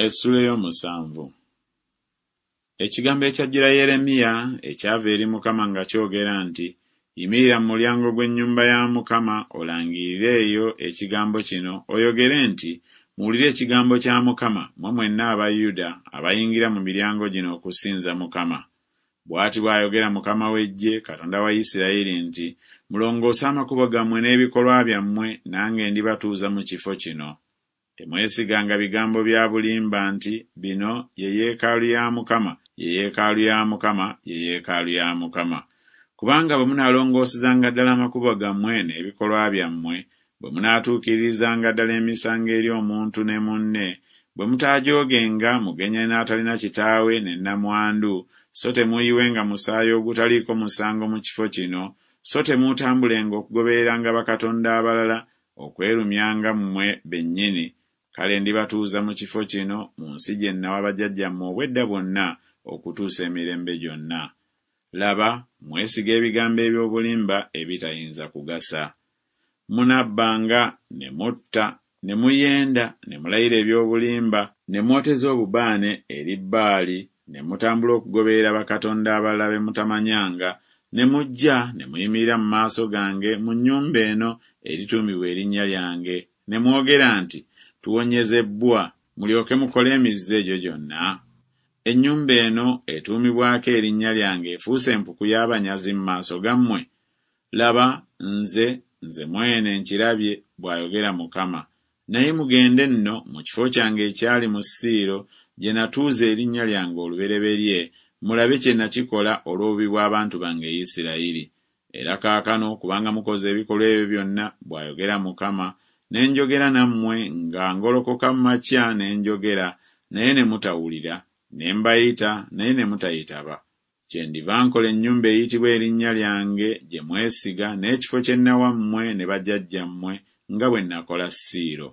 Essuula ey'omusanvu. Ekigambo ekyajjira Yeremiya ekyava eri Mukama nga kyogera nti, Yimirira mu mulyango gw'ennyumba ya Mukama olangirire eyo ekigambo kino, oyogere nti, Muwulire ekigambo kya Mukama, mmwe mwenna aba Yuda abayingira mu miryango gino okusinza Mukama. Bw'ati bw'ayogera Mukama w'eggye, Katonda wa Isirayiri nti, Mulongoose amakubo gammwe n'ebikolwa byammwe, nange ndibatuuza mu kifo kino. Temwesiganga bigambo bya bulimba nti, Bino ye yeekaalu ya Mukama, ye yeekaalu ya Mukama, ye yeekaalu ya Mukama. Kubanga bwe munaalongoosezanga ddala amakubo gammwe n'ebikolwa byammwe, bwe munaatuukiririzanga ddala emisango eri omuntu ne munne, bwe mutaajoogenga mugenyi n'atalina kitaawe ne nnamwandu, so temuuyiwenga musaayi ogutaliiko musango mu kifo kino, so temuutambulenga okugobereranga bakatonda abalala, okwerumyanga mmwe bennyini, kale ndibatuuza mu kifo kino, mu nsi gye nnawa bajjajjammwe obw'edda bwonna okutuusa emirembe gyonna. Laba, mwesiga ebigambo eby'obulimba ebitayinza kugasa. Munabbanga, ne mutta, ne muyenda, ne mulayira eby'obulimba, ne mwoteza obubaane eri Baali, ne mutambula okugoberera bakatonda abalala be mutamanyanga, ne mujja ne muyimirira mu maaso gange mu nnyumba eno erituumibwa erinnya lyange, ne mwogera nti, Tuwonyezebbwa, mulyoke mukole emizizo egyo gyonna? Ennyumba eno etuumibwako erinnya lyange efuuse empuku y'abanyazi mu maaso gammwe? Laba, nze, nze mwene nkirabye, bw'ayogera Mukama. Naye mugende nno mu kifo kyange ekyali mu Siiro, gye natuuza erinnya lyange olubereberye, mulabe kye nakikola olw'obubi bw'abantu bange Isirayiri. Era kaakano kubanga mukoze ebikolwa ebyo byonna, bw'ayogera Mukama, ne njogera nammwe nga ngolokoka mu makya ne njogera, naye ne mutawulira, ne mbayita, naye ne mutayitaba. Kyendiva nkola ennyumba eyitibwa erinnya lyange gye mwesiga n'ekifo kye nnawa mmwe ne bajjajjammwe nga bwe nakola Siiro.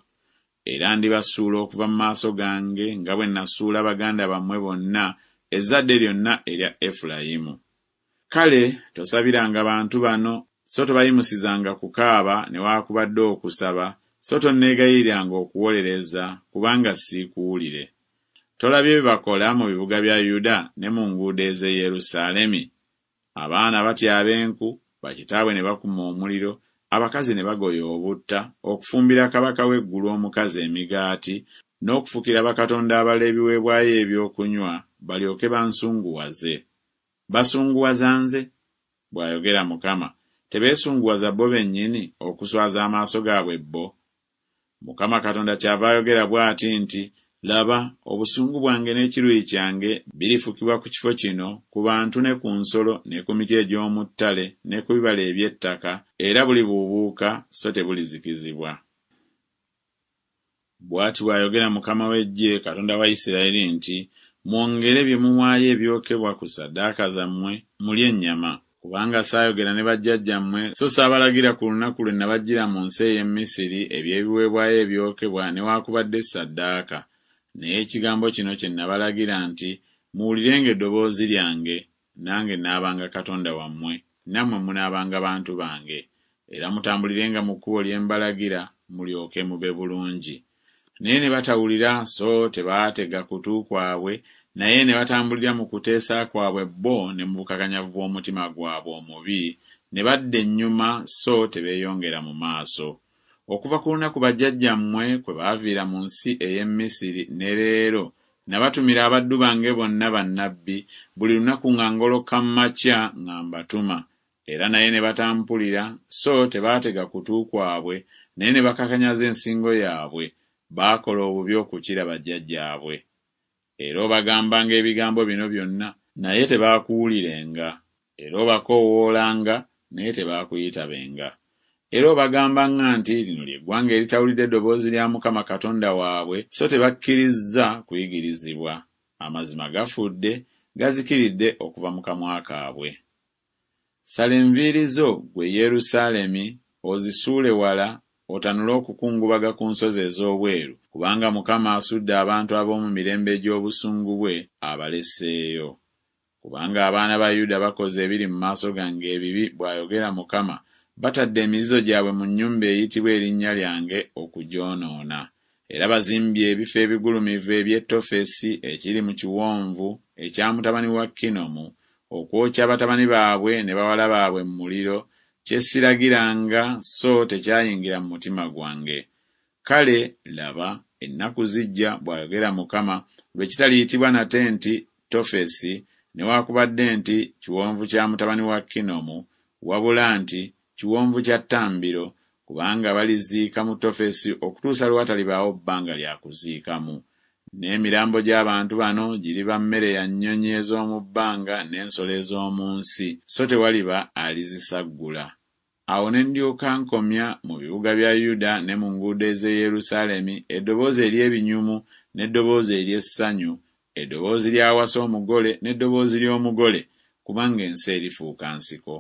Era ndibasuula okuva mu maaso gange nga bwe nasuula baganda bammwe bonna, ezzadde lyonna erya Efulayimu. Kale tosabiranga bantu bano, so tobayimusizanga kukaaba newaakubadde okusaba, so tonneegayiriranga okuwolereza, kubanga siikuwulire. Tolabye bye bakola mu bibuga bya Yuda ne mu nguudo ez'e Yerusaalemi? Abaana batyaba enku, bakitaabwe ne bakuma omuliro, abakazi ne bagoya obutta, okufumbira kabaka w'eggulu omukazi emigaati, n'okufukira bakatonda abalala ebiweebwayo eby'okunywa, balyoke bansunguwaze. Basunguwaza nze? bw'ayogera Mukama. Tebeesunguwaza bo bennyini, okuswaza amaaso gaabwe bo? Mukama Katonda kyava ayogera bw'ati nti, Laba, obusungu bwange n'ekiruyi kyange birifukibwa ku kifo kino, ku bantu ne ku nsolo ne ku miti egy'omu ttale ne ku bibala eby'ettaka, era bulibuubuuka so tebulizikizibwa. Bw'ati bw'ayogera Mukama w'eggye, Katonda wa Isirayiri nti, Mwongere bye muwaayo ebyokebwa ku ssaddaaka zammwe, mulye ennyama. Kubanga saayogera ne bajjajjammwe, so saabalagira ku lunaku lwe nabaggyira mu nsi ey'e Misiri eby'ebiweebwayo ebyokebwa newaakubadde ssaddaaka. Naye ekigambo kino kye nabalagira nti, Muwulirenga eddoboozi lyange, nange naabanga Katonda wammwe, nammwe munaabanga bantu bange. Era mutambulirenga mu kkubo lye mbalagira, mulyoke mube bulungi. Naye ne batawulira so tebaatega kutu kwabwe, naye ne batambulira mu kuteesa kwabwe bo ne mu bukakanyavu bw'omutima gwabwe omubi, ne badda ennyuma so tebeeyongera mu maaso. Okuva ku lunaku bajjajjammwe kwe baaviira mu nsi ey'e Misiri ne leero, nabatumira abaddu bange bonna bannabbi, buli lunaku nga ngoloka mu makya nga mbatuma, Era naye ne batampulira, so tebaatega kutu kwabwe, naye ne bakakanyaza ensingo yaabwe, baakola obubi okukira bajjajjaabwe. Era obagambanga ebigambo bino byonna, naye tebaakuwulirenga, era obakoowoolanga, naye tebaakuyitabenga. Era obagambanga nti Lino lye ggwanga eritawulidde ddoboozi lya Mukama Katonda waabwe, so tebakkirizza kuyigirizibwa. Amazima gafudde, gazikiridde okuva mu kamwa kaabwe. Sala enviiri zo, ggwe Yerusaalemi, ozisuule wala, otanule okukungubaga ku nsozi ez'obweru, kubanga Mukama asudde abantu ab'omu mirembe egy'obusungu bwe, abaleseeyo. Kubanga abaana ba Yuda bakoze ebiri mu maaso gange ebibi, bw'ayogera Mukama, batadde emizizo gyabwe mu nnyumba eyitibwa erinnya lyange okugyonoona. Era bazimbye ebifo ebigulumivu eby'e Tofesi ekiri mu kiwonvu ekya mutabani wa Kinomu, okwokya batabani baabwe ne bawala baabwe mu muliro, kye siragiranga so tekyayingira mu mutima gwange. Kale, laba, ennaku zijja, bw'ayogera Mukama, lwe kitaliyitibwa nate nti Tofesi, newakubadde nti Kiwonvu kya mutabani wa Kinomu, wabula nti Kiwonvu kya Ttambiro, kubanga baliziika mu Tofesi okutuusa lwe watalibaawo bbanga lya kuziikamu. N'emirambo gy'abantu bano giriba mmere ya nnyonyi ez'omu bbanga n'ensolo ez'omu nsi, so tewaliba alizisaggula. Awo ne ndyoka nkomya mu bibuga bya Yuda ne mu nguudo ez'e Yerusaalemi eddoboozi ery'ebinyumu n'eddoboozi ery'essanyu, eddoboozi ly'awasa omugole n'eddoboozi ly'omugole, kubanga ensi erifuuka nsiko.